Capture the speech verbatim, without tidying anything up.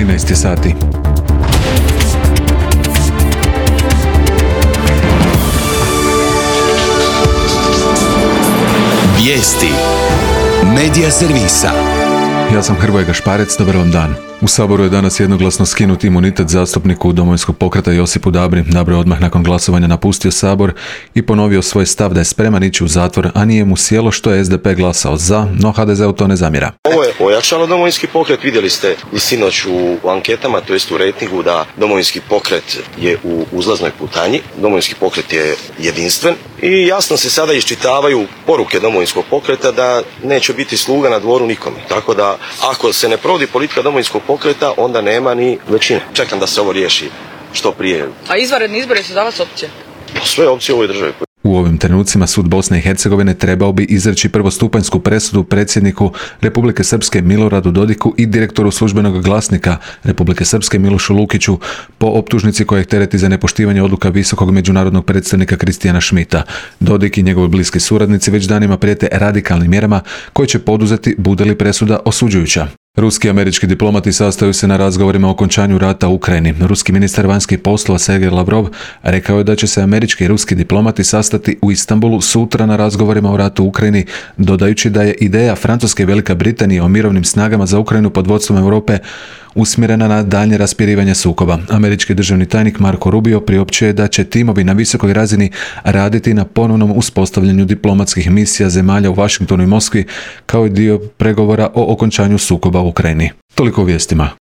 trinaest je sati. Vijesti Medija servisa. Ja sam Hrvoje Gašparec, dobar vam dan. U Saboru je danas jednoglasno skinut imunitet zastupniku Domovinskog pokreta Josipu Dabri. Dabro je odmah nakon glasovanja napustio Sabor i ponovio svoj stav da je spreman ići u zatvor, a nije mu sjelo što je S D P glasao za, no H D Z-u to ne zamjera. Ovo je ojačalo Domovinski pokret, vidjeli ste i sinoć u anketama, to jest u rejtingu, da Domovinski pokret je u uzlaznoj putanji, Domovinski pokret je jedinstven i jasno se sada iščitavaju poruke Domovinskog pokreta da neće biti sluga na dvoru nikome. Tako da ako se ne provodi politika Domovinskog pokreta, onda nema ni većine. Čekam da se ovo riješi što prije. A izvanredni izbori su za vas opcije? Sve opcije u ovoj državi. U ovim trenucima sud Bosne i Hercegovine trebao bi izreći prvostupanjsku presudu predsjedniku Republike Srpske Miloradu Dodiku i direktoru službenog glasnika Republike Srpske Milošu Lukiću po optužnici koja ih tereti za nepoštivanje odluka visokog međunarodnog predstavnika Kristijana Šmita. Dodik i njegovi bliski suradnici već danima prijete radikalnim mjerama koje će poduzeti bude li presuda osuđujuća. Ruski i američki diplomati sastaju se na razgovorima o okončanju rata u Ukrajini. Ruski ministar vanjskih poslova Sergej Lavrov rekao je da će se američki i ruski diplomati sastati u Istanbulu sutra na razgovorima o ratu u Ukrajini, dodajući da je ideja Francuske i Velika Britanija o mirovnim snagama za Ukrajinu pod vodstvom Europe usmjerena na daljnje raspirivanje sukoba. Američki državni tajnik Marco Rubio priopćio je da će timovi na visokoj razini raditi na ponovnom uspostavljanju diplomatskih misija zemalja u Washingtonu i Moskvi kao i dio pregovora o okončanju sukoba u Ukrajini. Toliko u vijestima.